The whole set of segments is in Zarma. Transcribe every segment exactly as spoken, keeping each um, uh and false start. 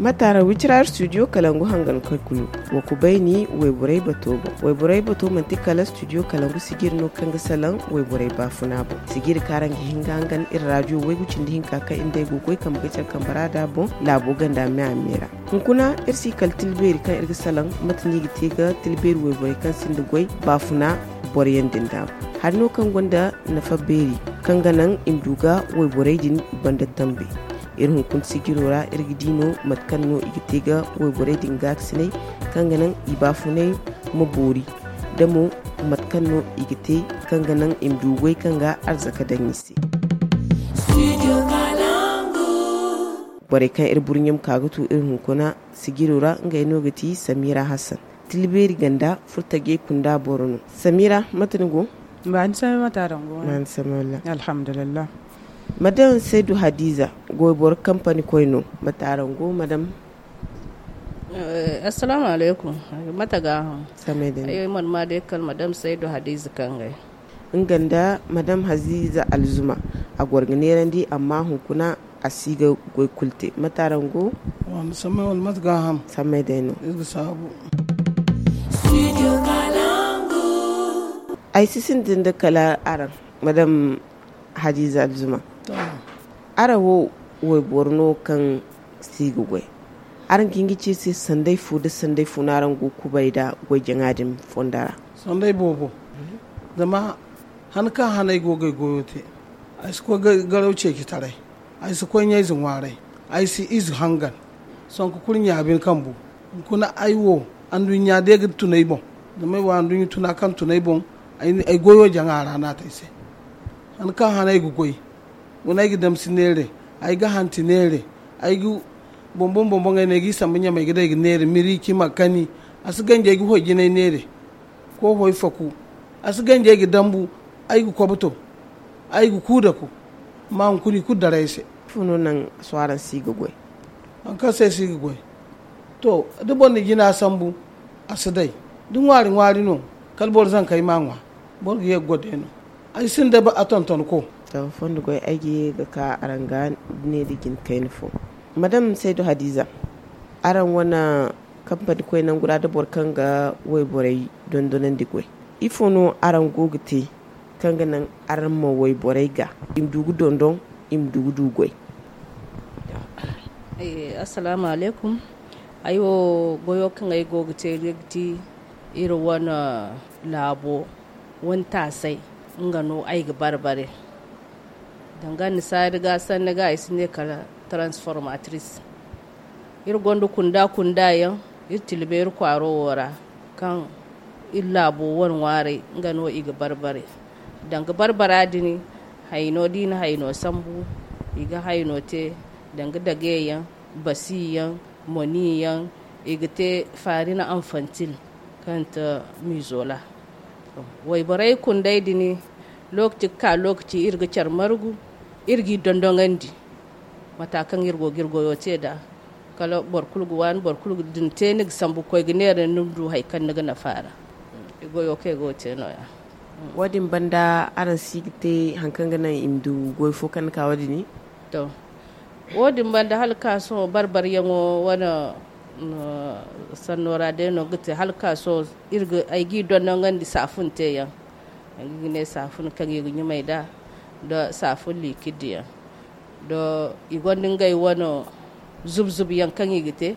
Mataara wicira studio kalangu hangan koy kulu. Wa ku bayni wayborey bato boŋ. Wayborey bato manti kala studio kalangu sijiri no kaŋ ga salaŋ wayborey baafuna boŋ. Sijiri kaŋ araŋ ga hin ga hangan iri radio waygu cindi hinka kaŋ iri day go goy kambe ga care kambe ra da boŋ laabo ganda me a me ra. Hunkuna iri si kala tilbeeri kaŋ iri ga salaŋ mate no i ga te ga tilbeeri wayborey kaŋ sinda goy baafuna boroyaŋ din da boŋ. Hari no kaŋ gonda nafa beeri kaŋ ga naŋ i ma du ga wayborey din i banda tambe. Iri hunkuna sijiro ra iri ga di no mate kaŋ no i ga te ga wayborey din gaakasinay kaŋ ga naŋ i baafunay ma boori da mo mate kaŋ no i ga te kaŋ ga naŋ i ma du goy kaŋ ga arzaka daŋ i se. Borey kaŋ iri burɲe ma ka ga tu iri hunkuna sijiro ra ngey no ga ti samira hassan, tilbeeri ganda furtajey kunda boro no. Samira, mate ni go? Baani samay, mate araŋ go? Baani samay, walla. Alhamdulillah. Madam saydu hadiza, goyboro kampani koy no, mate araŋ go madam? Assalaamu alaykum. Mate ga hã? Samay day no. Ay man ma day kala madam saydu hadiza kangay. Nga nda madam hadiza alzuma, a goro ga neerandi amma hunkuna a si ga goy kulu te. Mate araŋ go? Wala samay wala mate ga hã? Samay day no. Iri ga saabu. Ay si sintin da kala araŋ, madam hadiza alzuma. Araŋ wo wayboro no kaŋ si ga goy, araŋ ga hin ga ci iri se sanday fo nda sanday fo no araŋ go ga kubay nda goy jaŋa din fondo ra? Sanday boobo. Zama han kaŋ han ay go ga ay goyo te, ay si koy garaw ceeci taray, ay si koy ɲayze ŋwaaray, ay si ize hangan, sanku kulu ɲaabin kambu. Hunkuna ay wo anduɲɲa day ga tun ay boŋ. Zama ay wo anduɲɲa tuna kaŋ tun ay boŋ, ay goyo jaŋa ra no a te ay se. Han kaŋ han ay ga goy, guna ay ga damsi neere, ay ga hanti neere, ay ga boŋ-boŋ-boŋ-boŋey no ay g'i sambu ɲamey ga day ga neere miri cima kani. A si ganji ay ga hoy jinay neere, koohoy faku. A si ganji ay ga dambu, ay ga koboto, ay ga kuudaku. Amma hunkuna i kulu daray ay se. Ifo no naŋ sohõ araŋ si ga goy? Haŋ kaŋ se ay si ga goy, to, da boro na jina sambu, a si day. Da ŋwaari ŋwaari no, kala boro zankey ma ŋwa, boro ga ye ga goy day no. Ay sinda a tontonko. To, fondo goy ay ga ye ga ka araŋ ga ne da jina kayna fo. Madam saydu hadiza, araŋ wane kampani koy nangu ra da boro kaŋ ga wayborey dondonandi goy, ifo no araŋ go ga te kaŋ ga naŋ araŋ ma wayborey ga i ma du ga dondon, i ma du ga du goy? Assalaamu alaykum. Ay wo goyo kaŋ ay go ga te ga ti iri wane laabo wane taasay, nga no ay ga barbare. Danga annasaari ga sanni ga ay si ne kala transformatris. Iri gonda kunda kunda yaŋ iri tilbeeri kwaaro wo ra, kaŋ iri laabo wane ŋwaaray nga no i ga barbare. Danga barbara din, hayno da i na hayno sambu, i ga hayno te danga dage yaŋ, basi yaŋ, moni yaŋ, i ga te faarina anfantil, kaŋ te mizola. Wayborey kunday din, lokaci ga ka lokaci iri ga care margu, iri g'i dondonandi. Mata kaŋ iri go ga iri goyo te nd'a, kala boro kulu ga waani, boro kulu ga, da ni te ni ga sambu ga koy ga neera ni ma du hari kaŋ ni ga nafa a ra. Goyo kaŋ ay go ga te nooya. Wo- din banda araŋ si ga te hari kaŋ ga naŋ i ma du goy fo kaŋ ni ka wo- din? To, wo- din banda hala ga ka sohõ barbaryaŋo wane sanno ra day no ga te. Hala ga ka sohõ iri ga, ay g'i dondonandi saafun te yaŋ. Ay ga ne saafun kaŋ i ga ɲumay nd'a, nda saafun liikid yaŋ. Da i gonda ngey wane zub-zub yaŋ kaŋ i ga te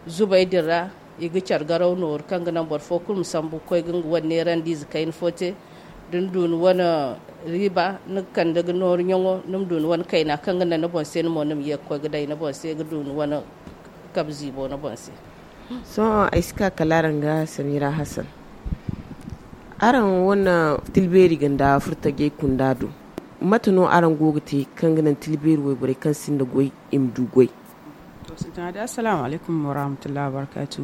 zubey din ra, i ga care garaw nooru kaŋ ga naŋ boro fo kulu ma sambu ga koy ga nga wane neerandiize kayna fo te. Da ni du ni wane riiba, ni ga kande ga nooru ɲaŋo, ni ma du ni wane kayna kaŋ ga naŋ ni boŋ se, ni mo ni ma ye ga koy ga day ni boŋ se ga du ni wane kabe ziibo ni boŋ se. Sohõ ay si ka kala araŋ ga samira hassan. Araŋ wane tilbeeri ga nda furtajey kunda do, mate no araŋ go ga te kaŋ ga naŋ tilbeeri wayborey kaŋ sinda goy i ma du goy? To, sintina day, assalaamu alaykum warahmatullahi wabarakaatu.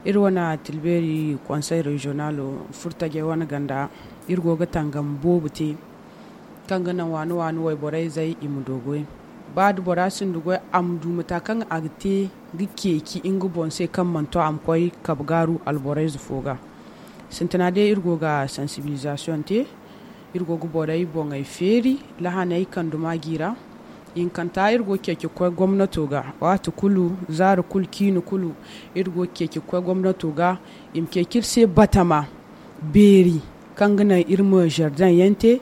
Iri wane tilbeeri konsey reziyonalo furtajey wane ganda, iri go ga tangam boobo te kaŋ ga naŋ waani-waani wayborey zey i ma du goy. Ba da bora sinda goy, a ma du mata kaŋ a ga te ga ceeci nga boŋ se kaŋ mana to a ma koy kabe gaaru alborayze fo ga. Sintina day iri go ga sansibilizasiyoŋ te, iri go ga borey boŋey feeri lahaney kanduma gi ra. Hinkanta iri go ga ceeci ga koy gomnato ga, waati kulu zaari kulu ciini kulu iri go ga ceeci ga koy gomnato ga, i ma ceeci iri se batama beeri, kaŋ ga naŋ iri ma zardaŋ yaŋ te,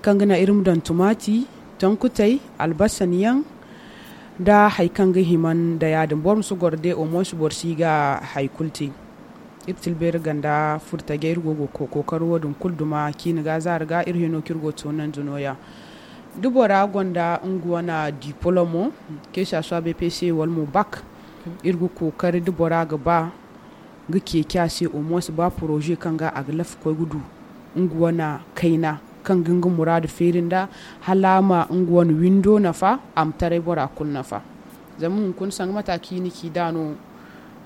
kaŋ ga naŋ iri ma daŋ tumaati, tonkutey, albasan yaŋ, nda hari kaŋ ga hima nda ya- din. Boro ma si goro day, au moins boro si ga hari kulu te. Iri tilbeeri ganda furtajey, iri go ga kookari wo- din kulu duma ciini ga zaari ga, iri hino kaŋ iri go ga toonandi nooya. Da bora gonda nga wane dipolomo, ke saswa bpc wala mo bak, iri ga kookari da bora ga ba ga ceeci a se, au moins ba poroze kaŋ ga a ga lafa koy ga du nga wane kayna, kaŋ ga nga muraadu feeri nda, hala a ma nga wane windo nafa, a ma taray bora kulu nafa. Zama hunkuna sanga mate kaŋ i na ci nd'a no,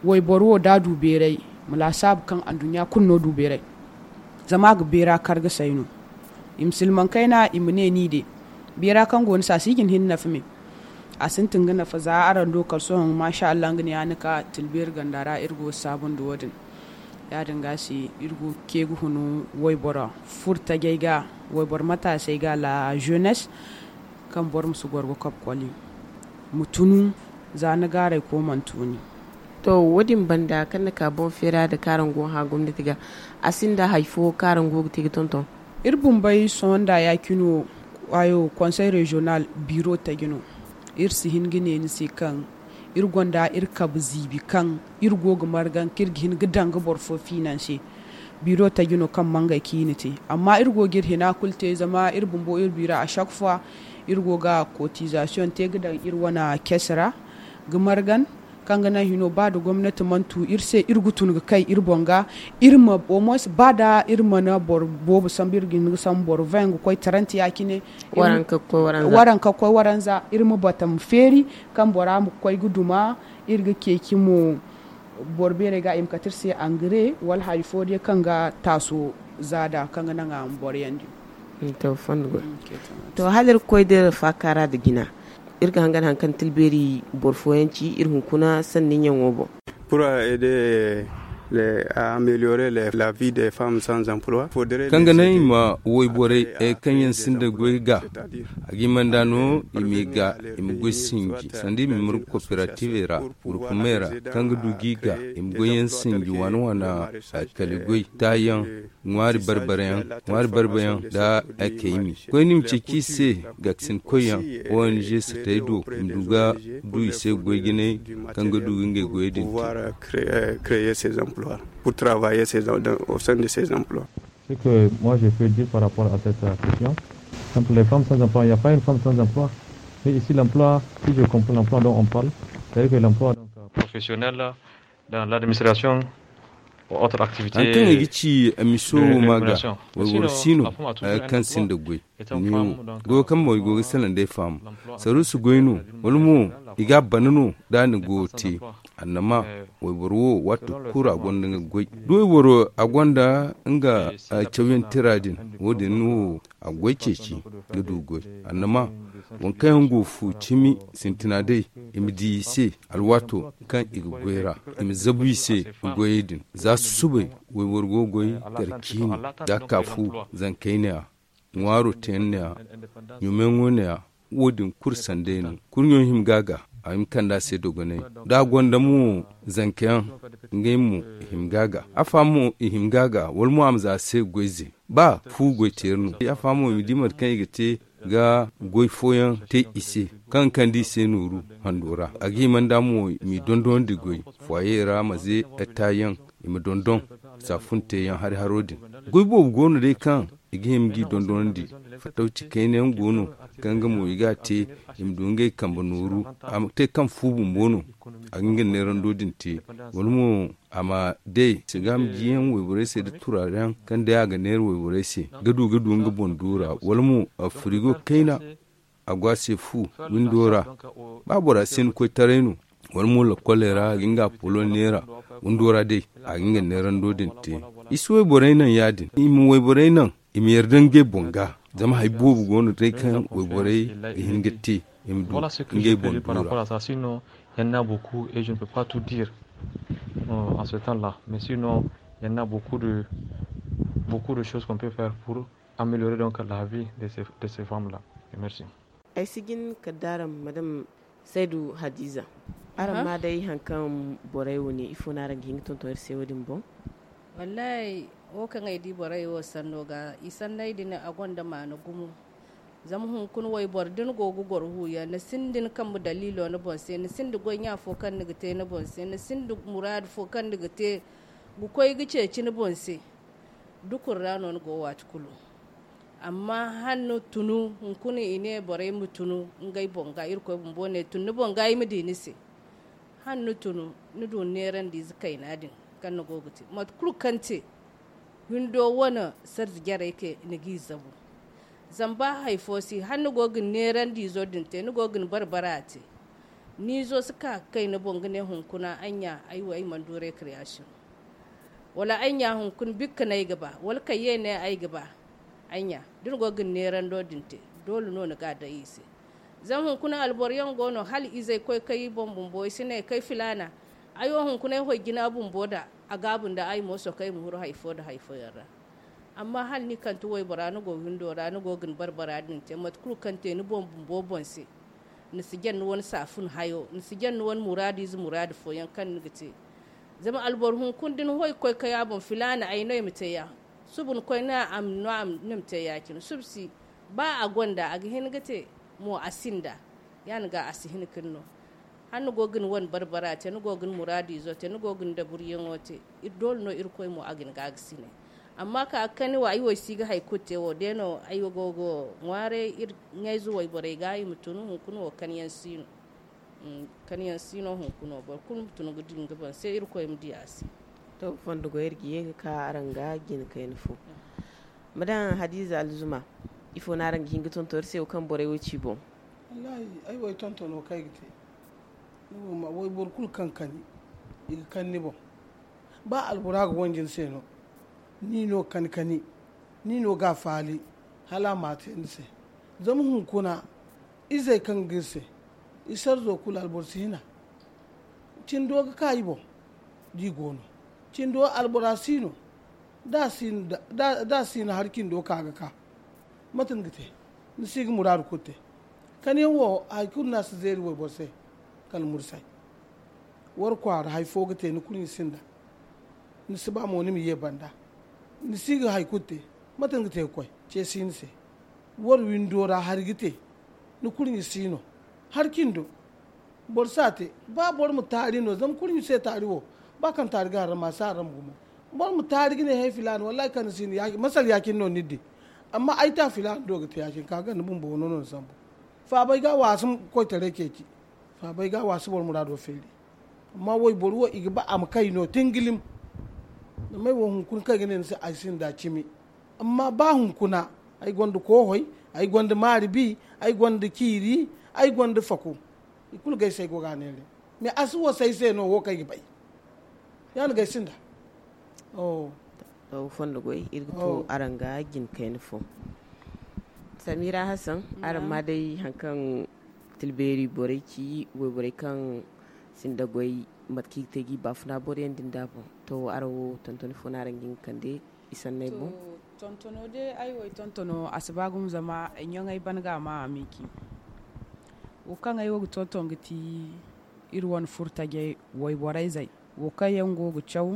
wayboro wo da a du beeray, ma laasaabu kaŋ anduɲɲa kulu no du beeray. Zama a ga beera kar ga say no. I ma silmaŋ kayna, i ma ne ni de, beera kaŋ go ni se a si ga hin nafa me. A sintin ga nafa za araŋ do kala sohõ, masha Allah, nga ne ya ni ka tilbeeri ganda ra, iri go ga saabundi wo- din. Ya- din ga se iri go ga ce ga hunu wayboro furtajey ga, wayboro mataasey ga, la jeunesse, kaŋ boro ma si goro ga kob koli, ma tunu za ni gaaray ko mana tuuni. To, wo- din banda kaŋ ni ka boŋ feera nda kaŋ araŋ go ga hã gomnati ga, a sinda hari fo kaŋ araŋ go ga te ga tonton? Iri bumbey sohõ nda ya cine wo, ayo, conseil régional biro taji no. Iri si hin ga ne ni se kaŋ iri gonda iri kabe ziibi kaŋ iri go ga margan kaŋ iri ga hin ga daŋ ga boro fo finanse. Biro taji no kaŋ mangay kaŋ i na te, amma iri go ga iri hina kulu te, zama iri bumbo iri bira à chaque fois iri go ga cotisation te ga daŋ iri wane caisse ra ga margan, kaŋ ga naŋ hino ba da gomnati mana tu iri se, iri ga tun ga kay iri boŋ ga, iri ma au moins ba da iri mana boro boobo sambu, iri ga hin ga sambu boro vingt ga koy trente ya cine. Waranka ga koy waranza. Waranka ga koy waranza, iri ma bata ma feeri, kaŋ bora ma koy ga duma, iri ga ceeci mo boro beerey ga, i ma kate iri se engrais wala hari fo day kaŋ ga taaso za nd'a, kaŋ ga naŋ a ma boro yandi. To, fondo go. To, hala iri ga koy da iri faakaara nda jina, iri ga hangan hari kaŋ tilbeeri boro fooyaŋ ci iri hunkuna sanni ɲaŋo boŋ. Pour aider les, à améliorer les, la vie des femmes sans emploi, faudrait kaŋ ga naŋ i ma wayborey, eh, kaŋ yaŋ sinda goy ga, a ga hima nd'a no i ma i ga, i ma goy sinji, sanda i ma mara coopérative ra, gurkumey ra, kaŋ ga du ga i ga, i ma goy yaŋ sinji, waana-waana, eh, kala goy, taayaŋ, ŋwaari barbarayaŋ, ŋwaari barbayaŋ nda, eh, kaymi. Koyne i ma ceeci i se, gaakasin koyyaŋ, O N G satey do, i ma du ga du i se goy jinay kaŋ ga du ga ngey goyey din te. Pouvoir, euh, créer, euh, créer ces emplois, pour travailler ces, dans, au sein de ces emplois. Ce que moi je peux dire par rapport à cette, euh, question, entre les femmes sans emploi, il n'y a pas une femme sans emploi. Mais ici, l'emploi, si je comprends l'emploi dont on parle, c'est-à-dire que l'emploi, donc, euh, professionnel, dans l'administration ou autre activité. Haŋ kaŋ ay ga ci, eh, miso de ma ga, rémunération. Mais sinon, wayboro si no, la femme a toujours, eh, un emploi. Kaŋ sinda goy. Étant femme, donc, euh, goyo kaŋ mo i go ga salaŋ day femme. Saruusu goy no, wala mo i ga a bana no da a na goyo te. Annama, wayboro wo, waati kulu a gonda nga goy. Da wayboro a gonda nga, eh, cawyaŋ tira din, wo-din no a goy ceeci ga du goy. Annama, waŋ kaŋ yaŋ go fu cimi sintina day, i ma di i se alwaato kaŋ i ga goy ra, i ma zabu i se goyey din. Za susubay, wayboro go ga goy gar ciini, da a ka fu zankey neeya, ŋwaaro teyaŋ neeya, ɲumeyaŋo neeya, wo-din kulu sanday no. Kurɲo hima ga a ga, a hima kande a se dogonay. Da a gonda mo zankayaŋ, ngey mo i hima ga a ga. Afa mo i hima ga a ga, wala mo a ma za a se goyze. Ba fu goyteeri no. Afa mo i ma di mate kaŋ i ga te ga goy fooyaŋ te i se, kaŋ ga kande i se nooru hando ra. A ga hima nd'a mo i m'i dondonandi goy, foyer ra ma ze etta yaŋ, i ma dondon saafunte yaŋ hari-haro din. Goy boobo go no day kaŋ i ga hima g'i dondonandi. Fatawci kayna yaŋ go no, kaŋ nga mo i ga a te, i ma du ngey kambe nooru. A ma te kaŋ fu bumbo no, a ga nga neerando din te. Wala mo a ma day sigaam jiyaŋ wayborey se nda turaareyaŋ kaŋ day a ga neera wayborey se, ga du ga du nga boŋ duura. Wala mo, a, firigo kayna, a go a se fu windo ra. Ba bora si hin koytaray no, wala mo lakoley ra, a ga nga apolo neera windo ra day, a ga nga neerando din te. I si wayborey naŋ yaadin. I ma wayborey naŋ, i ma yarda ngey boŋ ga. Zama hari boobo go no day kaŋ wayborey ga hin ga te, i ma du ngey boŋ duura. Voilà ce que je peux dire par rapport à ça. Sinon, il y en a beaucoup et je ne peux pas tout dire, euh, en ce temps-là. Mais sinon, il y en a beaucoup de, beaucoup de choses qu'on peut faire pour améliorer donc la vie de ces, de ces femmes-là. Et merci. Ay si jin kala da araŋ madam saydu hadiza, araŋ ma day hari kaŋ borey wo ne ifo no araŋ ga hin ga tonton iri se wo- din boŋ? Wallahi, wo kaŋ ay di borey wo sanno ga i sanney din a gonda maana gumo. Zama hunkuna wayboro da ni go ga goro huuyaŋ ni sinda ni kambe daliilo ni boŋ se ni sinda goy ɲa fo kaŋ ni ga te ni boŋ se ni sinda muraadu fo kaŋ ni ga te ga koy ga ceeci ni boŋ se. Dukun ra no ni go waati kulu. Amma hala ni tunu hunkuna i ne borey ma tunu ngey boŋ ga irkoy bumbo ne tun ni boŋ ga i ma di ni se. Hala ni tunu ni du neerandiize kayna din kaŋ ni go ga te mate kulu kaŋ te windo wane sarzi jarey ke ni g'i zabu. Zama ba hari fo si hala ni go ga ni neerandiizo din te ni go ga ni barbara te. Ni izo si ka ga kay ni boŋ ga ne hunkuna ay ɲa ay wo ay mana du rekriyasiyoŋ. Wala ay ɲa hunkuna bikka no ay ga ba wala kayye ne ay ga ba. Ay ɲa da ni go ga ni neerando din te doole no ni ga a day i se. Zama hunkuna alboro yaŋ go no hala izey koy kay i boŋ bumbo i si ne kay filaana. Ay wo hunkuna ay hoy jina bumbo da a gaabu nda ay mo sohõ kaŋ ay ma huru hari fo nda hari fooyaŋ ra. Amma hala ni kante waybora ni go windo ra ni go ga ni barbara din te mate kulu kaŋ te ni boŋ bumbo boŋ se. Ni si jaŋ ni wane saafun hayo ni si jaŋ ni wane muraadu ize muraadu fooyaŋ kaŋ ni ga te. Zama alboro hunkuna da ni hoy ga koy kay a boŋ filaana ay no ay ma te ya. Suba ni koy no a ma no a ma ni ma te ya- cine suba si ba a gonda a ga hin ga te. Mo a sinda ya- ni ga a si hin ga ni no. Hala ni go ga ni wane barbara te ni go ga ni muraadu izo te ni go ga ni daburiyaŋo te. Doole no irkoy mo a ga ni ga a ga sine. Amma ka ga kani wo ay wo ay si ga hari kulu te wo day no ay go ga ŋwaaray iri ɲayze wayborey ga i ma tun hunkuna wo kani yaŋ si no. Kani yaŋ si no hunkuna wo boro kulu ma tun ga di nga boŋ se irkoy ma di a se. To fondo go iri ga ye ga ka araŋ ga jina kayna fo. Ma daŋ hadiza alzuma ifo no araŋ ga hin ga tonton iri se wo kaŋ borey wo ci boŋ? Wallahi ay wo ay tontono kaŋ ay ga te. Ni wo ma way boro kulu kaŋ kani i ga kani ni boŋ. Ba albora ga wanji ni se no ni no kani kani ni no ga a faali hala a ma a te ni se. Zama hunkuna izey kaŋ ga iri se i sarzo kulu alboro si hina. Cindo ga ka i boŋ da i go no cindo albora si no. Da a si no hari cindo ka ga ka mate ni ga te? Ni si ga muraadu kulu te. Kani yaŋ wo hari kulu no a si zeeri wayboro se. Kala mursay war kwaara hari fo ga te ni kulu ni sinda. Ni si ba mo ni ma ye banda. Ni si ga hari kulu te. Mate ni ga te ga koy ce si ni se. War windo ra hari ga te. Ni kulu ni si no hari cindo. Boro si a te ba boro ma taari no zama kulu ni se taari wo. Ba kaŋ taari ga haram a si haram gumo. Boro ma taari ga ne he filaana wallahi kaŋ ni si no masal ya- cine no ni di. Amma ay ta filaana do ga te ya- cine ka ga ni bumbo no no ni sambu. Faabay ga waasi koytaray ceeci. Faabay ga waasi boro muraado feeri. Amma wayboro wo i ga ba a ma kay no tingilim. Zama ay wo hunkuna kaŋ ay ga ne ni se ay sinda cimi. Amma ba hunkuna ay gonda koohoy, ay gonda maari bi, ay gonda ciiri, ay gonda faku. I kulu ga ay se ay go ga a neeray. Mais a si wasa ay se no wo kaŋ ay ga bay. Ya- ni ga ay sinda. To fondo goy iri ga to araŋ ga jina kayna fo. Samira hasan araŋ ma day hari kaŋ tilbeeri borey ci wayborey kaŋ sinda goy mate kaŋ i ga te ga i baafuna boro yaŋ din da boŋ. To araŋ wo tontoni fo no araŋ ga hin ga kande i sanney boŋ? Tontono day ay wo ay tontono a si ba gumo zama ay ɲaŋey ban ga a ma a ma i ci. Wo kaŋ ay wo ga tonton ga ti iri wane furo tajey wayborey zey. Wo kaŋ yaŋ go ga caw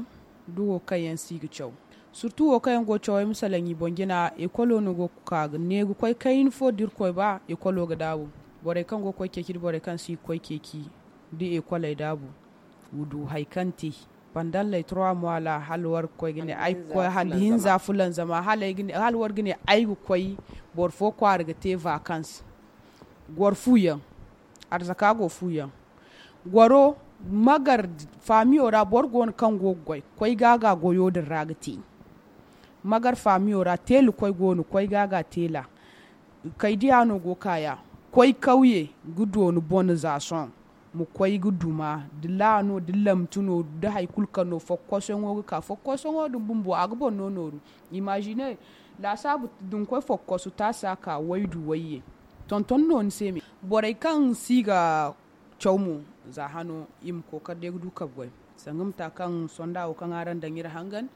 da wo kaŋ yaŋ si ga caw. Surtu wo kaŋ yaŋ go ga caw ay ma salaŋ i boŋ jina ekolo no go ga ka ga ne ga koy kayna fo da irkoy ba ekolo ga daabu. Borey kaŋ go ga koy ceeci da borey kaŋ si ga koy ceeci da ekoley daabu. Wa du hari kaŋ te pandalley trois mois ra hala war ga koy ga ne ay ga koy hande hinza fulanza ma hala war ga ne ay ga koy boro fo kwaara ga te vakans. Goro fuyaŋ arzaka go fuyaŋ. Goro magar faamiyo ra boro go no kaŋ go ga goy koy ga ga goyo din ra ga te. Magar faamiyo ra teela koy go no koy ga ga teela. Kay diya no go kaya koy kauye ga dooni bone za sohõ. Ma koy ga duma da laano da lamtu no da hari kulu kaŋ no fokkosoŋo ga ka fokkosoŋo din bumbo a ga boro no nooru. Imagine laasaabu da ni koy fokkoso taasi a ka waydu wayye. Tonton no ni se me borey kaŋ si ga caw mo za hano i ma kookari day ga du kabe goy. Sanga mata kaŋ sonda wo kaŋ araŋ daŋ iri hangan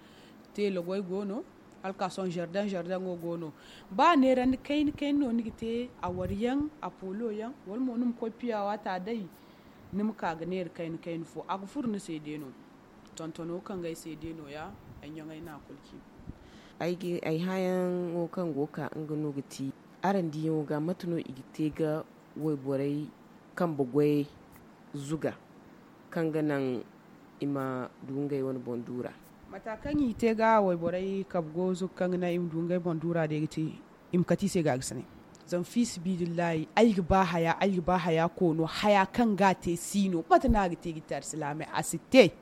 teela goy go no. Hala ka sohõ zardaŋ zardaŋo go no. Ba neerandi kayna kayna no ni ga te, a waryaŋ, a polo yaŋ, wala mo ni ma koy piya waata day, ni ma ka ga neera kayna kayna fo a ga furo ni se day no. Tontono kaŋ ga ay se day no- ya. Ay ɲaŋay no a kulu ci. Ay hãyaŋo kaŋ go ga ka nga no ga ti, araŋ diyaŋo ga mate no i ga te ga wayborey kambe goyey zuga, kaŋ ga naŋ i ma du ngey wane boŋ duura? Mata kaŋ i te ga wayborey kambe goyo zuga kaŋ ga naŋ i ma du ngey boŋ duura day ga te, i ma kate i se ga ga sine. Zama fiisabilillahi ay ga ba haya ay ga ba haya koono haya kaŋ ga a te si no mate no a ga te ga te alsilaamey a si te.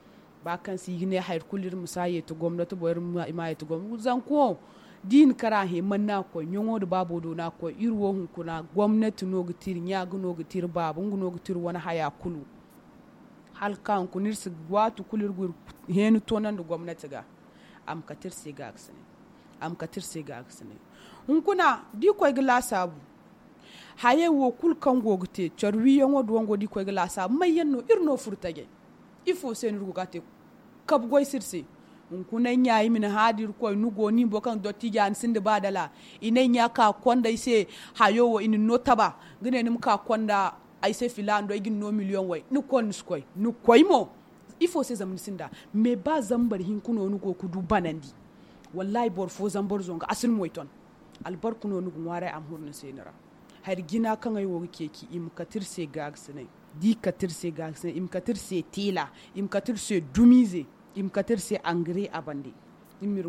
Ba kaŋ se i ga ne hari kulu iri ma si a yeeti gomnati boŋ iri ma yeeti gomnati zanka wo, da i na kara hẽ man no a ga koy ɲaŋo nda baabo do no a ga koy iri wo hunkuna gomnati no ga ti iri ɲa ga no ga ti iri baaba nga no ga ti iri wane haya kulu. Hala ka hunkuna iri si waati kulu iri ga iri heeni toonandi gomnati ga. A ma kate iri se ga ga sine. A ma kate iri se ga ga sine. Hunkuna da i koy ga laasaabu hayey wo kulu kaŋ go ga te care wiiyaŋo da wango da i koy ga laasaabu may yaŋ no iri no furo tajey? Ifo se no iri go ga a te? Kabu goy si iri se. Hunkuna ay ɲa i ma ni hã da irkoy ni go ni boro kaŋ dottiija ni sinda ba dala. I ne ay ɲa ka konda ay se hayo wo i na ni no taba ga ne ni ma ka konda ay se filaana do ay ga ni no miliyoŋ way ni konda ni si koy ni koy mo. Ifo se zama ni sinda mais ba zambar hinka no ni go ga du banandi. Wallahi boro fo zambar zongu a si ni moy ton. Albarka no ni ga ŋwaaray a ma huru ni se ni ra. Hari jina kaŋ ay wo ga ceeci i ma kate iri se gaagasinay. Da i kate iri se gaagasinay i ma kate iri se teela, i ma kate iri se dumiize, i ma kate iri se angare a bande. Iri ma iri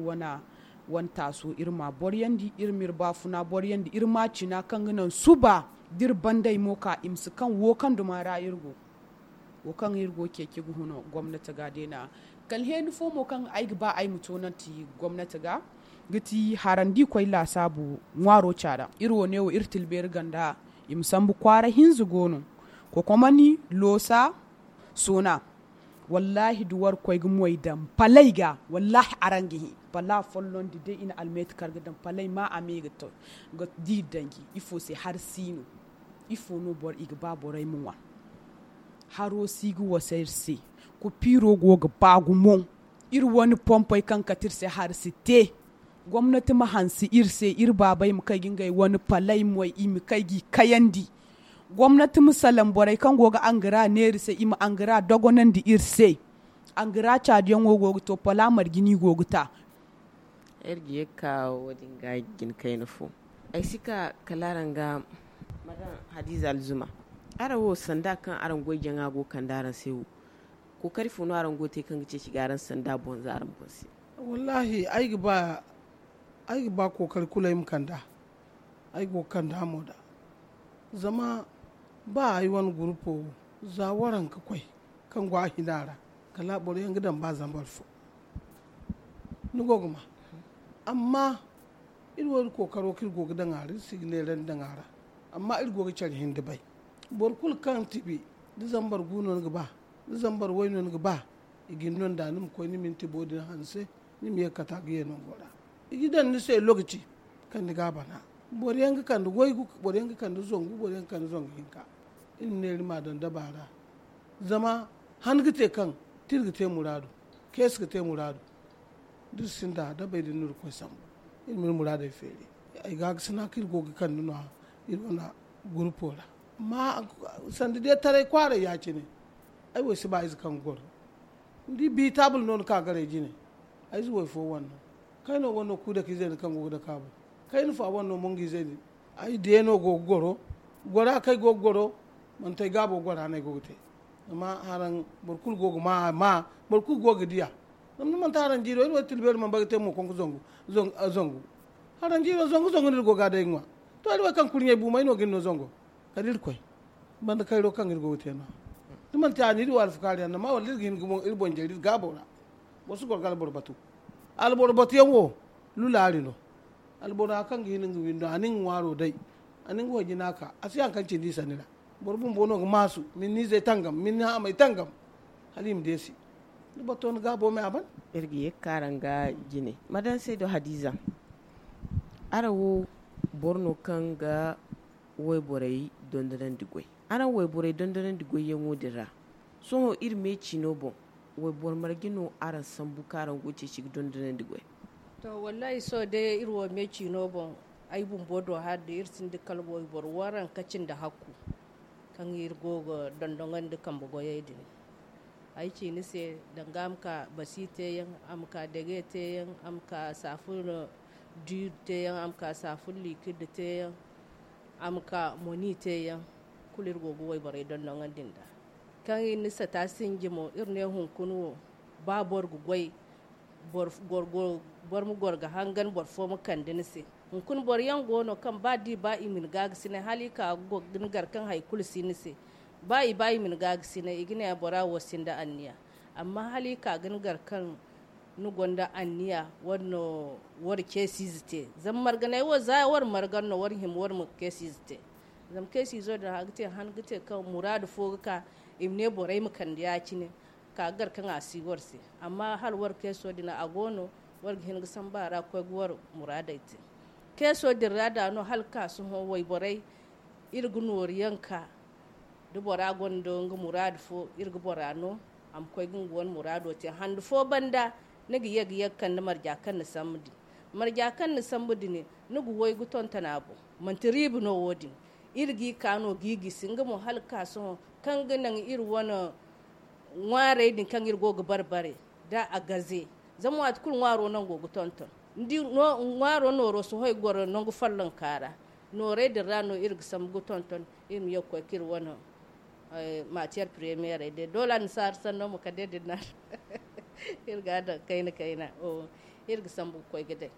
wane taaso iri ma a boryandi iri ma iri baafuna boryandi iri ma a cina kaŋ ga naŋ suba da iri bandey mo ka i ma si kaŋ wo kaŋ duma ra iri go. Wo kaŋ iri go ceeci ga huna gomnati ga day no ya. Kala heeni fo mo kaŋ ay ga ba ay ma toonanti gomnati ga ga ti haraŋ da i koy laasaabu ŋwaaro caada iri wo ne wo iri tilbeeri ganda. I ma sambu kwaara hinza go no kokomani loosa soona. Wallaahi da war ga koy ga moy daŋ palay ga wallaahi araŋ ga hẽ. Pala folloŋ da day i na almeeti kar ga daŋ palay ma a me ga to ga di danji ifo se hari si no? Ifo no boro i ga ba borey ma ŋwa? Haro si ga wasa iri se. Kupiiro go ga ba gumo. Iri wane pompey kaŋ kate iri se hari si te. Gomnati ma hanse iri se iri baabey ma kay ga ngey wane palay moy i ma kay g'i kayandi. Gomnati ma salaŋ borey kaŋ go ga angara neera se i ma angara dogonandi iri se. Angara caadiyaŋo go ga to pala marje no i go ga ta. Iri ga ye ga ka wo- din ga jina kayna fo. Ay si ka kala araŋ ga madam hadiza alzuma. Araŋ wo sanda kaŋ araŋ goy jaŋa go ga kande araŋ se wo? Kookari fo no araŋ go ga te kaŋ ga ceeci ga araŋ sanda boŋ za araŋ boŋ se? Wallaahi ay ga ba ay ga ba kookari kulu ay ma kande a. Ay go ga kande a mo nd'a. Zama ba ay wane gurupo wo za waranka koy kaŋ go a hina ra kala boro yaŋ ga daŋ ba zambar fo. Ni go ga ma. Amma iri wo iri kookaro kaŋ iri go ga daŋ a ra iri si ga neerandi daŋ a ra. Amma iri go ga care hinda bay. Boro kulu kaŋ tibi da zambar gu no ni ga ba da zambar way no ni ga ba. I ga ni no nd'a ni ma koy ni minti bo din hanse. Ni ma ye ga kata ga ye nango ra. I ga daŋ ni se lokaci kaŋ ni ga a bana. Boro yaŋ ga kande waygu boro yaŋ ga kande zangu boro yaŋ ga kande zangu hinka. Iri ma neera ma a daŋ daba ra. Zama han ga te kaŋ tira ga te muraadu. Keesi ga te muraadu. Da iri sinda dabey din no iri ga koy sambu. Iri ma iri muraadey feeri. Ay ga ga sina kaŋ iri go ga kande no- ya iri wane gurupo ra. Amma sanda day taray kwaaray ya- cine. Ay wo ay si ba ize kaŋ ga goro. Ni di bi taabul no ni ka garay jine. Ay ize wo ay fo wane no. Kayno wane no kuuda ka izey din kaŋ go ga dake a boŋ. Kayna fa wane no mongu izey din. Ay deeno go ga goro. Gora kaŋ ay go ga goro. Manti ay gaabo gora no ay go ga te. Zama haraŋ boro kulu go ga ma a ma. Boro kulu go ga di a. Zama ni manti haraŋ jiiro iri wo iri tilbeeri mana bay ga te mo konko zangu. Zangu haraŋ jiiro zangu zangu no iri go ga a day ga ŋwa. To iri wo kaŋ kurɲey bu may no ga iri no zango? Kala iri koy banda kayro kaŋ iri go ga te no- ya. Da manti a no iri wo alfakaari yaŋ no ma wala iri ga hin ga iri boŋ jare iri gaabo ra. Boro si goro ga alboro batu. Alboro batu yaŋ wo lulaari no. Albora kaŋ ga hin nga windo a na nga ŋwaaro day. A na nga wayjina ka a si haŋ kaŋ cindi i sanni ra. Boro bumbo no ga maasu ma ni izey tangam ma ni haamey tangam. Hala i ma deesi. Ni bato ni gaabo me a ban. Iri ga ye ga ka araŋ ga jine madansey do hadiza. Araŋ wo boro no kaŋ ga wayborey dondonandi goy. Araŋ wayborey dondonandi goyyaŋo din ra sohõ iri me ciino boŋ wayboro marje no araŋ sambu kaŋ araŋ go ga ceeci ga dondonandi goy? To, wallahi, sohõ day iri wo me ciino boŋ, ay bumbo do hala day iri sinda kala wayboro waranka cindi hakku kaŋ iri go ga dondonandi kambe goyey din. Ay ci ni se, danga a ma ka basi te yaŋ, a ma ka dege te yaŋ, a ma ka safun diir te yaŋ, a ma ka safun likid te yaŋ, a ma ka moni te yaŋ. Kulu iri go ga wayborey dondonandi nd'a. Kaŋ iri na sata sinji mo, iri ne hunkuna wo, ba boro ga goy, boro boro ma goro ga hangan, boro fo ma kande ni se. Hunkuna boro yaŋ go no kaŋ ba da i ba i ma ni gaagasinay hala i ka ga ni gar kaŋ hari kulu si ni se. Ba i ba i ma ni gaagasinay, i ga ne bora wo sinda anniya. Amma hala i ka ga ni gar kaŋ ni gonda anniya, wara no wara ceesiize te. Zama marganay wo za wara margan no wara hima wara ma ceesiize te. Zama ceesiizo din a ga te han ga te kaŋ muraadu fo ga ka, i ma ne borey ma kande ya-cine, ka ga gar kaŋ a si war se. Amma hala war keeso din a go no, war ga hin ga samba a ra ga koy ga war muraadey te. Keeso din ra da no hala ka sohõ wayborey, iri ga nooru yaŋ ka da bora gonda nga muraadu fo, iri ga bora no a ma koy ga nga wane muraado te. Handu fo banda ni ga ye ga ye ga kande marja kaŋ ni sambu din. Marja kaŋ ni sambu din, ni ga way ga tonton a boŋ. Manti riiba no wo-din. Iri g'i ka no g'i gisi nga mo hala ka sohõ kaŋ ga naŋ iri wane ŋwaarey din kaŋ iri go ga bare bare da a gaze. Zama waati kulu ŋwaaro nango ga tonton. Ni di ŋwaaro nooro sohõ i ga goro nangu follonka ra. Noorey din ra no iri ga sambu ga tonton iri ma ye ga koy ka iri wane matière première day doola ni saari sanno ma kande din na iri ga a daŋ kayna kayna. Iri ga sambu ga koy ga day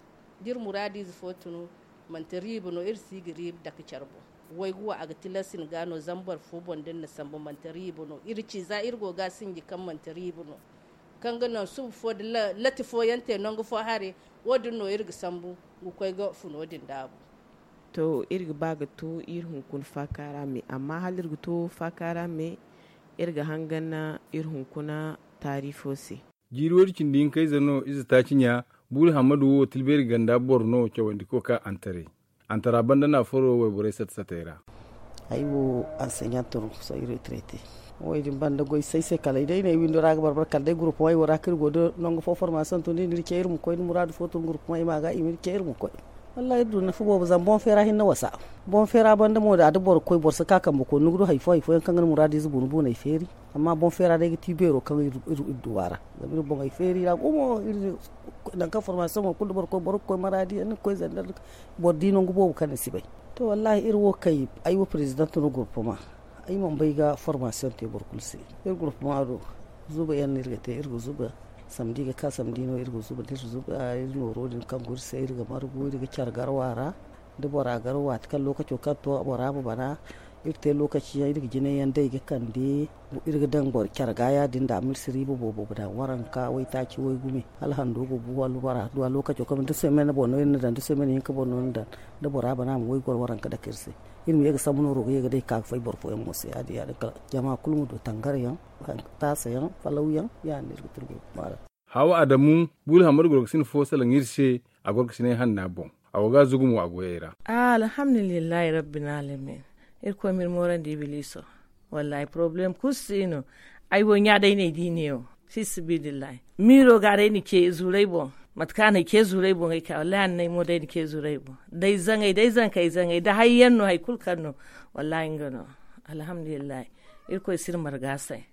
da iri muraadiize fo tunu. Manti riiba no iri si ga riiba dake care boŋ. Waygu wo a ga tilas ni ga no zama boro fo boŋ da ni na sambu manti riiba no iri ci za iri go ga a sinji kaŋ manti riiba no. Kaŋ ga naŋ suba fo da lati fooyaŋ te nangu fo hare. Wo-din no iri ga sambu ga koy ga funo din daabu. To iri ga ba ga to iri hunkuna faaka ra me amma hala iri ga to faaka ra me iri ga hangan iri hunkuna taari fo se. Jiiri woodi cindi hinkayze no ize taaci ɲa. Buuri hammadu wo tilbeeri ganda boro no cawandi ka ka antare. Antara banda no a furo wayborey sata-satey ra. Ay wo anseɲante no sohõ iri retraite. Wo-din banda goy say se kala day no ay windo ra ga barbara kala day gurupu way wo ra kaŋ iri go da nangu fo formaasiyoŋ tun da iri ce iri ma koy da muraadu fo tun gurupu way ma ga i ma iri ce iri ma koy. Wallahi iri du nafa boobo zama boŋ feera hinne wasa. Boŋ feera banda mo da a da boro koy boro si ka kambe koy ni ga du hari fo hari fooyaŋ kaŋ ga ni muraadiize buuna buunay feeri. Amma boŋ feera day ga ti beero kaŋ iri du a ra. Zama iri boŋey feeri ra gumo iri nangu kaŋ formaasiyoŋo kulu da boro ga koy maraadi yaŋ ni ga koy zandar. Boro di nangu boobo kaŋ ni si bay. To wallahi iri wo kay ay wo perezidaŋ no gurpuma. Ay mana bay ga formaasiyoŋ te boro kulu se. Iri gurpuma do zuba yaŋ no iri ga te iri ga zuba. Samdi ga ka samdi no iri ga zuba da iri zuba iri nooro din kaŋ go iri se iri ga margu iri ga care garwa ra. Da bora gar waati kaŋ lookaco kaŋ to bora ma bana. Iri te lookaci yaŋ iri ga jinay yaŋ day ga kande. Iri ga daŋ boro care ga ya- din da a ma iri si riiba boobo daŋ waranka waytaaci waygume. Hala hando ga bu wala bora du a lookaco kaŋ da semene boŋ no iri na daŋ da semene hinka boŋ no ni daŋ. Da bora bana a ma waygoro waranka dake iri se. Iri ma ye ga sambu nooro ga ye ga day ga ka ga fay boro fooyaŋ mo se ya- din ya- din kala jama kulu ma du tangar yaŋ, taasa yaŋ, falaw yaŋ. Ya- din no iri ga te iri go ga maala. Hawa adamu, buuli hammadu gorgasina fo salaŋ iri se. A gorgasinay hanna boŋ. A go ga a zugu mo a goyey ra. Alhamdulillahi rabbil alamin. Irkoy ma iri moorandi ibiliso. Wallahi problème kulu si no. Ay wo ɲa day no ay di neewo. Fi sabilillahi miiro ga day na ce zuuray boŋ. Mate kaŋ a na ay ce zuuray boŋ ay ka wallahi a na ay mo day na ce zuuray boŋ. Day zaŋay day zankey zaŋay da hayyaŋ no hari kulu kaŋ no. Wallahi nga no. Alhamdulillahi. Irkoy si iri marga se.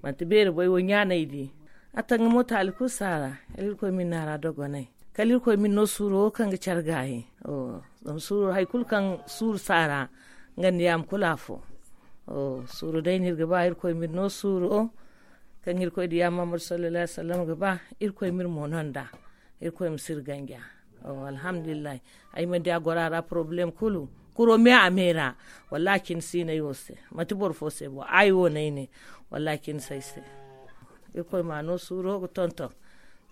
Manti beeri boy wo ɲa no ay di. A taŋ ga mo taali kulu si a ra. Kala irkoy ma iri naara dogonay. Kala irkoy ma iri no suuro wo kaŋ ga care gaayi. Zama suuro hari kulu kaŋ suuru si a ra. Nga nda yaama kulu afo. Suuru day no iri ga ba irkoy ma iri no suuro. Kaŋ irkoy nda yaama muhammadu sallallahu alaihi wasallam ga ba. Irkoy ma iri mo no nd'a. Irkoy ma si iri ganja. Alhamdulillahi. Ay mana di a goro a ra problème kulu. Kuro me a me ra. Wallahi cine si no ay wo se. Manti boro fo se bo ay wo no ay ne. Wallahi cine si ay se. Irkoy ma no suuro ga tonton.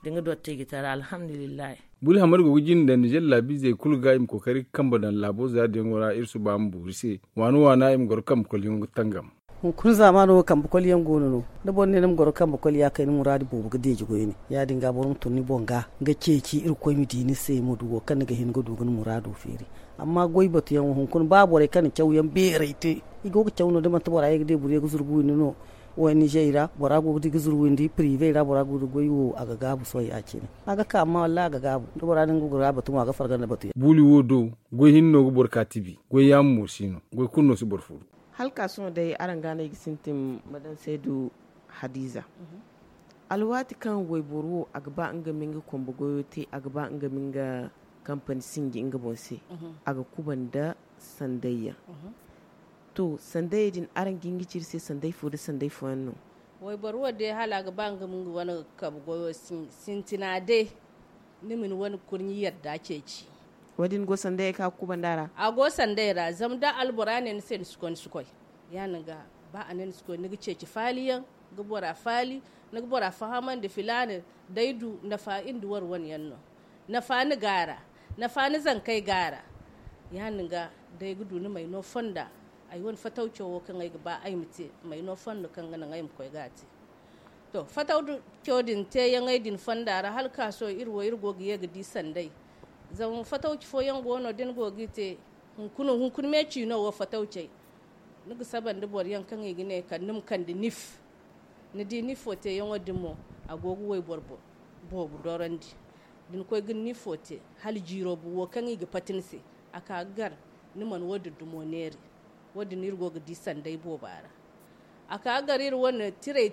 Da nga dotti ga tara alhamdulillahi. Buli hamar go ga jinde nda jallaabiizey kulu ga i ma kookari ga kambe daŋ laabo za diyaŋo ra iri suba ma boori se. Waana waana i ma goro kambe kolyaŋo ga tangam. Hunkuna zaamaano wo kambe kolyaŋ go no no. Da boro ne ni ma goro kambe kolya kay ni muraadu boobo ga deeji goyne. Ya- din ga boro ma tun ni boŋ ga ga ceeci irkoy ma di ni se ma du wo kaŋ ni ga hin ga du ga ni muraado feeri. Amma goy batuyaŋo hunkuna ba borey kaŋ na cawyaŋ beerey te. I go ga caw no da manti bora ye ga deeburiyaŋ ga zurbu windi no. Wo nizer ra bora go ga di ga zuru windi prive ra bora go ga di goy wo a ga gaabu sohõ ya- cine. A ga ka amma wallahi a ga gaabu da bora din ga gura batu mo a ga farga nda batu yaŋ. Buuli wo do goy hinne no ga boro ka tibi. Goy yaamo mo si no. Goy kulu no si boro furu. Hala ka sohõ day araŋ ga no ay ga sintin ma daŋ saydu hadiza. Alwaati kaŋ wayboro wo a ga ba nga ma nga kambe goyo te, a ga ba nga ma nga kampani sinji nga boŋ se, a ga kuba nda sandayyaŋ. To, sandayey din araŋ ga hin ga ci iri se sanday fo nda sanday fooyaŋ no? Wayboro wo day hala a ga ba nga ma nga wane kabe goyo sintina day. Ni ma ni wane kurɲi yadda ceeci. Wo- din go sandayey kaŋ a ga kubanda ra? A go sandayey ra zama da albora ne ni se ni si koy ni si koy. Ya- din ga ba a ne ni si koy ni ga ceeci faaliyaŋ, ga bora faali, ni ga bora fahamandi filaana, day du nafa iri nda war wane yaŋ no. Nafa ni ga a ra, nafa ni zankey ga a ra. Ya- din ga day ga du ni may no fonda. Ay wane fatawco wo kaŋ ay ga ba ay ma te may no fondo kaŋ ga naŋ ay ma koy ga a te. To, fatawco din teeyaŋey din fonda ra hala ka sohõ iri wo iri go ga ye ga di sanday. Zama fatawci fooyaŋ go no da ni go ga i te, hunkuna hunkuna me ciino wo fatawcey. Ni ga saba nda boro yaŋ kaŋ i ga ne kala ni ma kande nif. Ni di nifo teeyaŋo din mo, a go ga wayboro boobo dorandi. Da ni koy ga ni nifo te, hala jiiro bu wo kaŋ i ga pati ni se, a ka ga gar. Ni mana wo- din dumo neeri. Wo- din iri go ga di sanday booba ra. A ka gar iri wane tirey.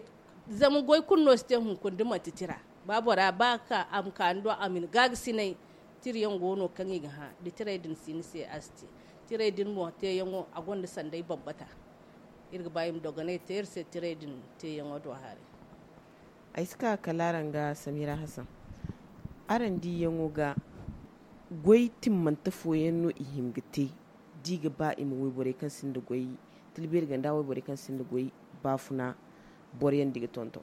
Zama goy kulu no si te hunkuna da manti tira. Ba bora ba ka a ma ka ni do a ma ni gaagasinay. Tirayaŋ go no kaŋ i ga hã da tirey din si ni se a si te. Tirey din mo teeyaŋo a gonda sanday bambata. Iri ga ba i ma dogonay te iri se tirey din teeyaŋo do haray. Ay si ka kala araŋ ga samira hasan. Araŋ diyaŋo ga goy timmante fooyaŋ no i hin ga te da i ga ba i ma wayborey kaŋ sinda goy, tilbeeri ganda wayborey kaŋ sinda goy baafuna boroyaŋ da i ga tonton?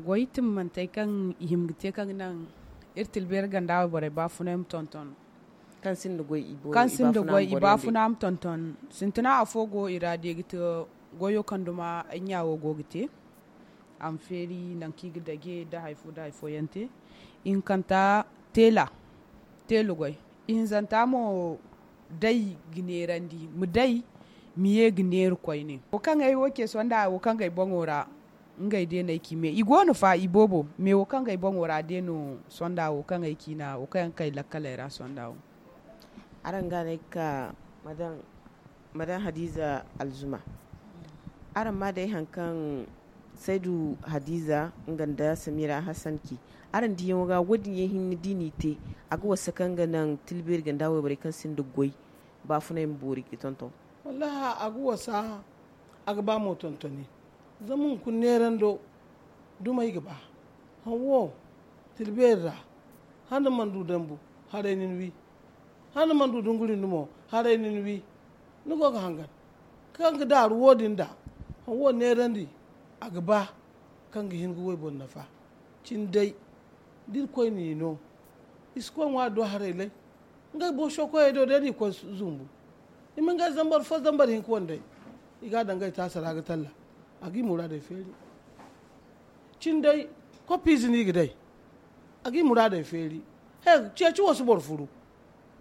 Goy timmantey kaŋ i hin ga te kaŋ ga naŋ iri tilbeeri ganda wayborey baafuna i ma tonton. Kaŋ sinda goy i baafuna ma tonton. Sintina afo go i ra da i ga te goyo kaŋ duma ay ɲa wo go ga te. A ma feeri nangu kaŋ i ga dage nda hari fo nda hari fooyaŋ te. Ihinkanta teela, teela goy. Ihinzanta mo day ga neerandi ma day ma ye ga neera koyne. Wo kaŋ ay wo ce sonda wo kaŋ ga ay boŋo ra. Ngey day no ay ci me i go no fa i boobo me wo kaŋ ga ay boŋo ra day no sonda wo kaŋ ay ciina wo kaŋ yaŋ ga kay lakkaley ra sonda wo. Araŋ ga no ay ga ka madame hadiza alzuma. Araŋ ma day hari kaŋ saydu hadiza nga nda samira hasan ci. Araŋ diyaŋo ga wo- din yaŋ hinne da i n'i te a ga wasa kaŋ ga naŋ tilbeeri ganda wayborey kaŋ sinda goy baafunay ma boori ga tonton. Wallahi a ga wasa. A ga ba mo tontoni. Zama hunkuna neerando dumey ga ba. Haŋ wo tilbeeri ra. Hane mana du dambu haray nin wi. Hane mana du dunguri ni mo haray nin wi. Ni go ga hangan kaŋ ga daaru wo- din da haŋ wo neerandi. A ga ba kaŋ ga hin ga wayboro nafa. Cin day da irkoy n'i no i si koy ŋwa do haray lay. Ngey booso koyey do day no i koy zumbu. I ma ngey zambar fo zambar hinka wandey. I ga a daŋ ngey taasa ra ga talla. A ga i muraadey feeri. Cin day koppiize no i ga day. A ga i muraadey feeri. He ceeci wo si boro furu.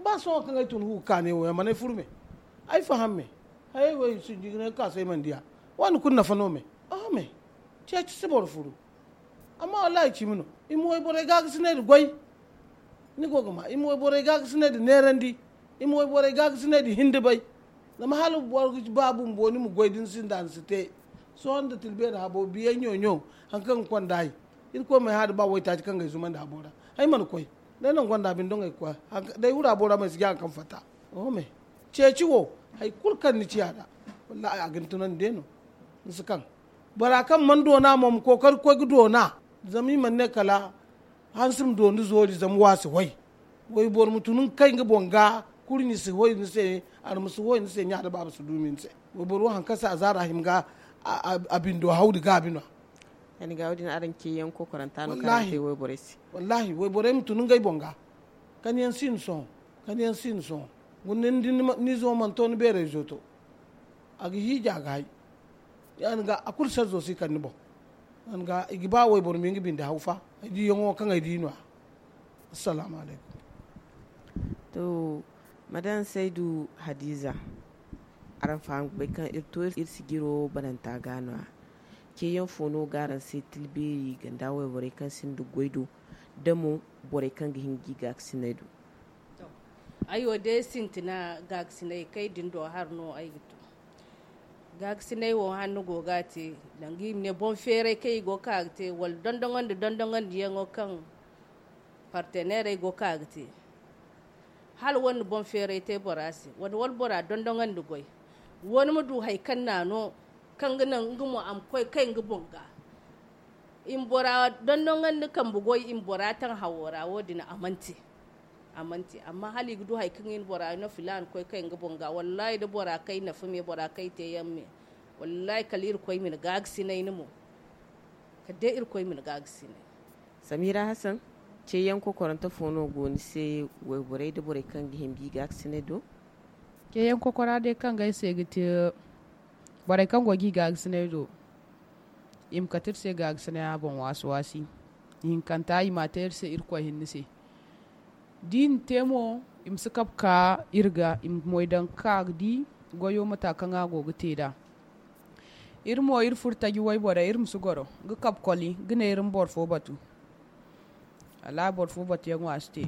Ba sohõ kaŋ ay tun hu ga kaanay wo yaŋ mana ay furu me. Ay faham me. Hayey wo i sinji ga ne ga ka se ay mana diya. Waani kulu nafa no me. Oho me. Ceeci si boro furu. Amma wallahi cimi no. I ma wayborey gaagasinay da goy. Ni go ga ma i ma wayborey gaagasinay da neerandi. I ma wayborey gaagasinay da hindibay. Zama hala boro ga ba bumbo ni ma goy da ni sinda ni si te. Sohõ nda tilbeeri habo biya ɲo-ɲo. Hari kaŋ ga konda ay. Irkoy ma ay hã da ba waytaaci kaŋ ga ay zumandi habo ra. Ay mana koy. Day naŋ gonda binde no ay ga koy. Day wura bora ma ay si ga hari kaŋ fatta. Oho me. Ceeci wo hari kulu kaŋ ni ciya nd'a. Wallahi a ga ni tunandi day no. Ni si kaŋ. Bora kaŋ mana doona mo ma kookari ga koy ga doona. Zama i mana ne kala hansi ma doona zoori zama wa si hoy. Wayboro ma tun ga kay nga boŋ ga. Kurɲi si hoy ni se. Arma si hoy ni se ɲa da baaba si duumi ni se. Wayboro wo hari kaŋ se a zaara hima ga a bindo hawdi gaabi no. Yaŋ ga wo- din araŋ ceeyaŋ kokoranta no kaŋ araŋ te wayborey se. Wallahi wayborey ma tun ngey boŋ ga. Kani yaŋ si ni sohõ. Kani yaŋ si ni sohõ. Guna ni di ni izo mana to ni beerayzo to. A ga hiiji a ga hay. Ya- din ga a kulu sarzo si kande ni boŋ. Ya- din ga i ga ba wayboro ma nga binde haw fa. Ay diyaŋo kaŋ ay di no- ya. Assalaamu alaykum. To, madame saydu hadiza, araŋ faham ga bay kaŋ iri to iri sijiro bananta ga no- ya. Ceeyaŋ fo no ga araŋ se tilbeeri ganda wayborey kaŋ sinda goy do, da mo borey kaŋ ga hin ga i gaakasinay do? Ay wo day sintina gaakasinay kay din do har no ay ga to. Gaakasinay wo hanno go ga a te, danga i ma ne boŋ feeray kaŋ i go ga ka ga te wala dondoŋandi dondoŋandiyaŋo kaŋ parteneerey go ga ka ga te. Hala wane boŋ feeray te bora se wane wala bora dondoŋandi goy, wane ma du hari kaŋ naano kaŋ ga naŋ nga mo a ma koy kay nga boŋ ga. I ma bora dondoŋandi kambe goy i ma bora taŋ hawo ra wo- din a mana te. A mana te amma hala i ga du hari kaŋ i na bora no filaana koy kay nga boŋ ga wallaahi da bora kay nafa me bora kay te yaŋ me. Wallaahi kala irkoy ma ni gaagasinay ni mo. Kala day irkoy ma ni gaagasinay. Samira hasan, ceeyaŋ kokorante fo no go ni se? Wayborey nda borey kaŋ ga hima ga i gaakasinay do. Ceeyaŋ kokora day kaŋ ga ay se ga te borey kaŋ go ga i gaagasinay do, i ma kate iri se gaagasinaya boŋ waasi waasi. Ihinkanta i m'a te iri se irkoy hinne se. Da i na te mo, i ma si kabe ka iri ga i ma moy daŋ ga ka ga di goyo mata kaŋ a go ga te nd'a. Iri mo iri furo taji wayborey iri ma si goro ga kabe koli ga ne iri ma boro fo batu. Wallaahi boro fo batuyaŋo a si te.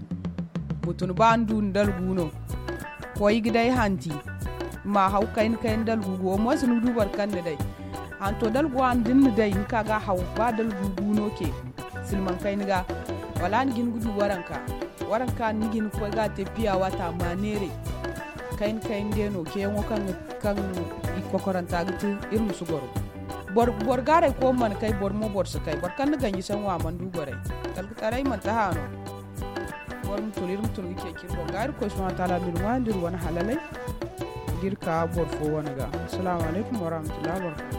Mutum ba ni du ni dalgu no, koy ga day hanti, ma haw kayna kayna dalgu go wala mo si ni ga du boro kaŋ ni day. Hanto dalgu a ni da ni na day ni ka ga a haw ba dalgu gu no ce. Silmaŋ kayna ga wala ni ga hin ga du waranka. Waranka ni ga hin ga koy ga a te piya waata ma neeray. Kayna kayna day no ceeyaŋo kaŋ ga kaŋ i kokoranta ga te. Iri ma si goro boro gaaray ko mana kay boro mo boro si kay boro kaŋ na ganji saŋo a mana du goray. Talkataray manti haano. Boro ma tun iri ma tun ga ceeci iri boŋ ga irkoy subhanahu wataala ma iri ŋwaayandi iri wane halalay. Da iri ka boro fo wane ga. Asalaamu alaykum warahmatullahi wabarakaatu.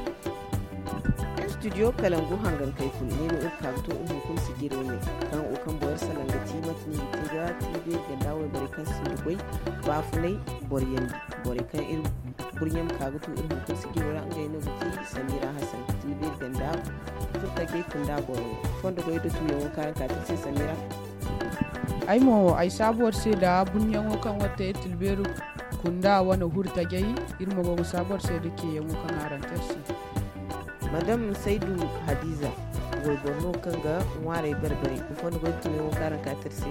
Studio kalangu hangankey kulu ne no iri ka ga to iri hunkuna sijiro ne kaŋ wo kaŋ boro salaŋ ga ti mate no i ga te ga tilbeeri ganda wayborey kaŋ sinda goy baafunay. Boriyandi borey kaŋ iri burɲe ma ka ga tu iri hunkuna sijiro ra ngey no ga ti samira hasan tilbeeri ganda furtajey kunda boro fondo goy da tuyaŋo kaŋ araŋ ka te se samira. Ay mo ay saabu war se nda burɲaŋo kaŋ war te iri tilbeeri kunda wane hurtajey. Iri mo go ga saabu war se nda ceeyaŋo kaŋ araŋ te iri se. Madam saydu hadiza wayboro no kaŋ ga ŋwaaray bare-bare ifo ni goy tuyaŋo kaŋ araŋ ka te iri se.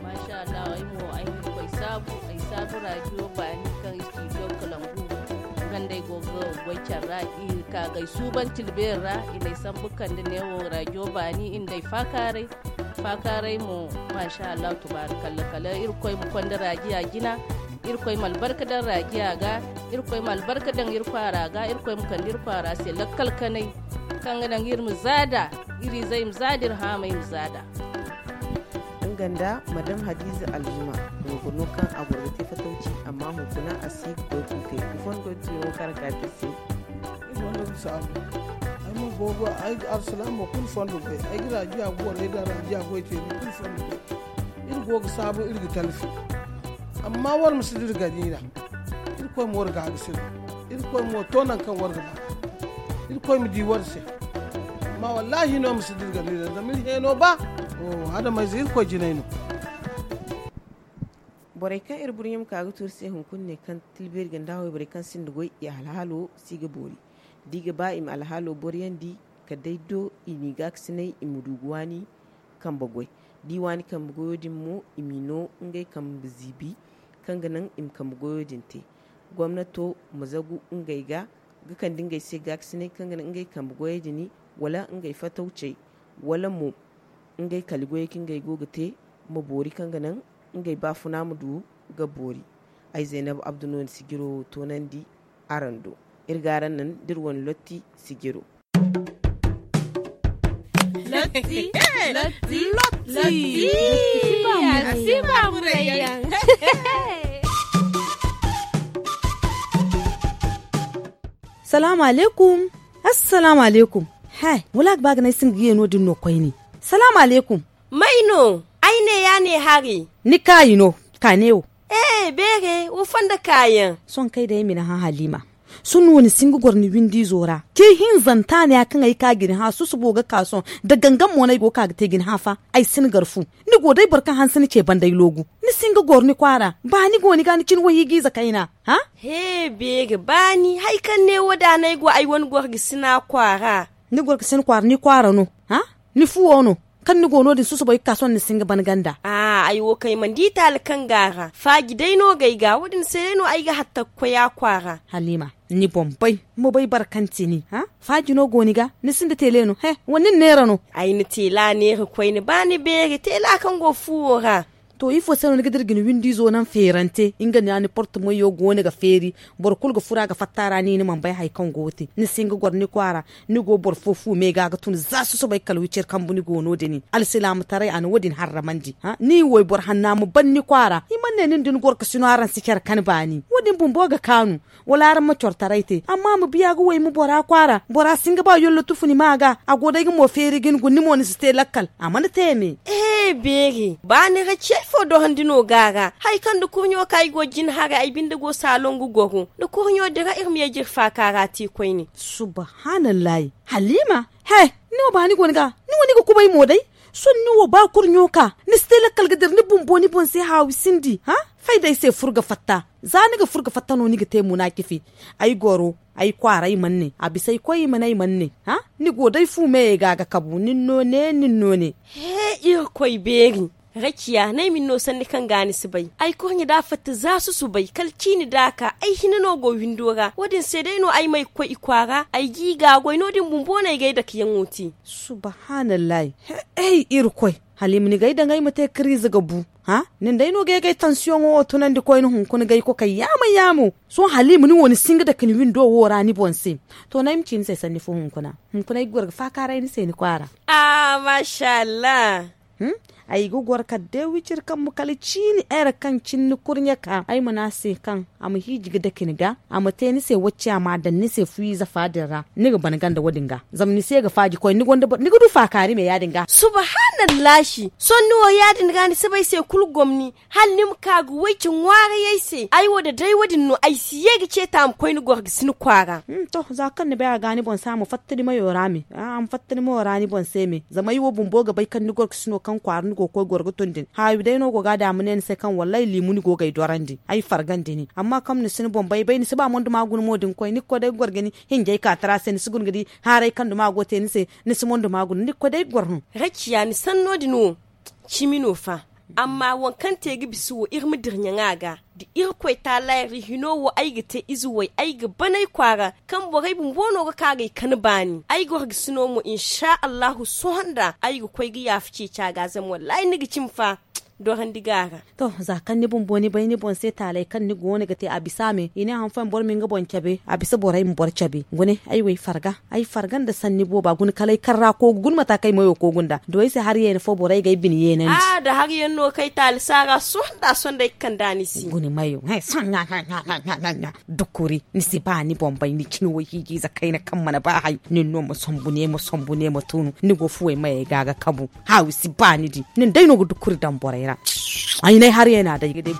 Masha Allah ay mo ay na irkoy saabu ay saabu raajiyo baani kaŋ i studio kalangu. Nga nda ay go ga goy care ra i ka ga ay suuban tilbeeri ra i na ay sambu kande neewo raajiyo baani i nda ay faakaaray. Faakaaray mo. Masha Allah tubaarikalla kala irkoy ma konda raajiya jina. Irkoy ma albarka daŋ raajiya ga. Irkoy ma albarka daŋ iri kwaara ga irkoy ma kande iri kwaara se lakkal kanay. Kaŋ ga naŋ iri ma zaada iri izey ma zaada iri haamay ma zaada. Nga nda madam hadiza alzuma. Goro no kaŋ a goro ga te fatawci amma hunkuna a si ga goy kuukay ifo ni goy ga tuyaŋo kaŋ araŋ ka te iri se. Ay mo boobo ay ga arsilaamo kulu fondo goy ay ga raajiya ga borey daŋ raajiya goy te ni kulu fondo goy. Iri go ga saabu iri ga talfi. Amma war ma si dira gani ra. Irkoy ma war ga ga sirri. Irkoy ma war to naŋ kaŋ war ga ba. Irkoy ma di war se. Amma wallahi no ma si dira gani ra zama iri heeno ba. Adamayze irkoy jinay no. Borey kaŋ iri burɲe ma ka ga tuuri se hunkuna ne kaŋ tilbeeri ganda wayborey kaŋ sinda goy i alhaalo si ga boori. Da i ga ba i ma alhaalo boriyandi kala day do i n'i gaakasinay i ma du ga waani. Kambe goy da i waani kambe goyo din mo i m'i no ngey kambe ziibi. Kaŋ ga naŋ i ma kambe goyo din te gomnato ma zagu ngey ga ga kande ngey se gaakasinay kaŋ ga naŋ ngey kambe goyey din wala ngey fatawcey wala mo ngey kali goyey kaŋ ngey go ga te ma boori kaŋ ga naŋ ngey baafuna ma du ga boori. Ay zaynab abdu no ni sijiro toonandi. Araŋ do iri ga araŋ naŋ da iri wane lotti sijiro. Lotti. Lotti. Lotti. Lotti. Lotti. Lotti. Lotti. Lotti. Lotti. Salaamu alaykum. Assalaamu alaykum. He wala a ga ba ga ne ay sinda ga ye no- din no koyne. Salaamu alaykum. May no? Ay ne ya ne hari. Ni kaayi no. Ka ne wo. Ee beere wo fondo kaayaŋ. Sohõ kay day ay ma ni hã halima. Sohõ ni si hin ga goro ni windi izo ra. Te hinzanta ne ya kaŋ ay ka ga ni hã susubo ga ka sohõ. Da gangan mo no ay go ga ka ga te ga ni hã fa. Ay si ni gar fu. Ni go day boro kaŋ hanse ni ce banda ay loogu. Ni si hin ga goro ni kwaara. Ba ni go ni ga ni cine wahiijiize kayna. Hã? He beeri ba ni hari kaŋ ne wo da no ay go ay wane goro ga si ni a kwaara. Ni goro ga si ni kwaara ni kwaara no. Hã? Ni fuwo no. Kaŋ ni go no- din susubo ay ga ka sohõ ni si hin ga ban ganda. Ay wo kaŋ ay mana di taali kaŋ go a ra faaji day no ga ay ga wo- din se day no ay ga hatta ga koy a kwaara. Haliima, ni boŋ bay. Ma bay boro kaŋ ti ni. Faaji no go ni ga ni sinda teele no he? Wala ni na neera no? Ay na teela neera koyne ba ni beeri teela kaŋ go fuwo ra. To ifo se no ni ga dira ga ni windi izo naŋ feerante nga ne a ni porte moyo go no ga feeri. Boro kulu ga fura ga fatta ra ni ni mana bay hari kaŋ go ga te ni si hin ga goro ni kwaara. Ni go boro fo fu me ga ga tun za susubo ay kala wiciri kambu ni go no- din alsilaamataray a na wo- din harramandi. Ni wayboro hanna ma ban ni kwaara i mana ne nin da ni goro ga si no araŋ si care kan baani wo- din bumbo ga kaanu. Wala araŋ ma coro taray te amma ma biya ga wayma bora kwaara bora si hin ga ba yollo tufu ni ma ga a go day ga mo feeri ga ni guna ni mo ni si te lakkal. A mana te me. Ehe beeri ba ni ra ciyay fo dorandi no ga a ra. Hari kaŋ nda kurɲo ka ay go jina haray ay binde go saaloŋ ga goro nda kurɲo dira iri ma ye ga iri faaka ra te koyne. Subahanallahi. Haliima. He. Ni wo ba ni go ni ga ni wo ni ga kubay mo day. Sohõ ni wo ba kurɲo ka ni si te lakkal ga dira ni bumbo ni boŋ se haawi sindi. Fay da ay se fur ga fatta. Za ni ga fur ga fatta no ni ga te muna cifi. Ay goro ay kwaara ay mana ne a bisa ay koy i ma ne ay mana ne. Ni go day fu meyey ga a ga kabu nin no ne nin no ne. He irkoy beeri. Rakiya no ay ma ni no sanni kaŋ ga ni si bay. Ay kurɲe da a fatta za susubay kala ciini da a ka ay hina no go windo ra wo- din se day no ay ma ay ga koy i kwaara ay ga i ga a goy no- din bumbo no ay ga ay dakeyaŋo te. Subahanallahi. Hey irkoy. Hala i ma ni ga ay daŋ ay ma te kariize ga bu. Nin day no ga ay ga ay tansiyoŋo wo tunandi koyne hunkuna ga ay kokay yaamo yaamo. Sohõ hala i ma ni wo ni si hin ga dake ni windo wo ra ni boŋ se. To no ay ma ci ni se sanni fo hunkuna. Hunkuna ay ga goro ga faakaaray ni se ni kwaara. Aa maasa allah. Ay ga goro kala day wiciri kambu kala ciini ere kaŋ cine ni kurɲe ka ay ma ne a se kaŋ a ma hiiji ga dake ni ga. A ma te ni se wacce a ma a daŋ ni se fuyiize fa din ra. Ni ga ban ganda wo- din ga zama ni se ga faaji koy ni ga du faakaari me ya- din ga. Subahanallahi. Sohõ ni wo ya- din ga ni si bay se kulu gomni. Hala ni ma ka ga wayce ŋwaaray ay se ay wo da day wo- din no ay si ye ga ceeta a ma koy ni goro ga si ni kwaara. To za kaŋ ni bay a ga ni boŋ se a ma fatta ni mayo ra me a ma fatta ni mayo ra ni boŋ se me zama ay wo bumbo ga bay kaŋ ni goro ga si no kaŋ kwaara ni go ga koy goro ga tun din haawi day no go ga a daŋ a ma ne ni se kaŋ wallaahi liimu ni go ga ay dorandi ay fargandi ni amma kaŋ ni si ni boŋ bay bay ni si ba mondo ma guna mo din koy ni ga koy day ga goro ga ni hinjay ka tara se ni si guna ga di haaray kaŋ duma go te ni se. Ni si mondo ma guna ni ga koy day ga goro no. Rakiya ni sanno din wo. Cimi no fa. Amma waŋ kaŋ te ga bisa wo iri ma dira ɲaŋa ga da irkoy taalayri hino wo ay ga te ize way ay ga ban ay kwaara. Kaŋ borey bumbo no ga ka ga ay kan baani ay goro ga si no mo insa allahu sohõ nda ay ga koy ga yaafa ceeci a ga zama wallaahi ni ga cimi fa. Dorandi ga a ra. To za kaŋ ni bumbo ni bay ni boŋ se taalay kaŋ ni go no ga te a bisa me i ne han fooyaŋ boro ma nga boŋ cabe a bisa borey ma boro cabe gune ay wo ay farga. Ay farga nda sanni booba guna kala ay karra koogu guna mata kaŋ ay mayo koogu nda do ay se hari yeene fo borey ga ay bine yeenandi. Aa da hari yaŋ no kaŋ ay taali saara sohõ nda a sohõ nda ay ga kande a ni se. Guna mayo. Dukuri ni si ba ni boŋ bay ni cine wayhiijiize kayna kaŋ mana ba hay nin no ma sombu ne ma sombu ne ma tunu ni go fuwey mayey ga ga kabu. Haawi si ba ni di nin day no ga dukuri daŋ borey ra. Ay n'ay hari yeena day ga day.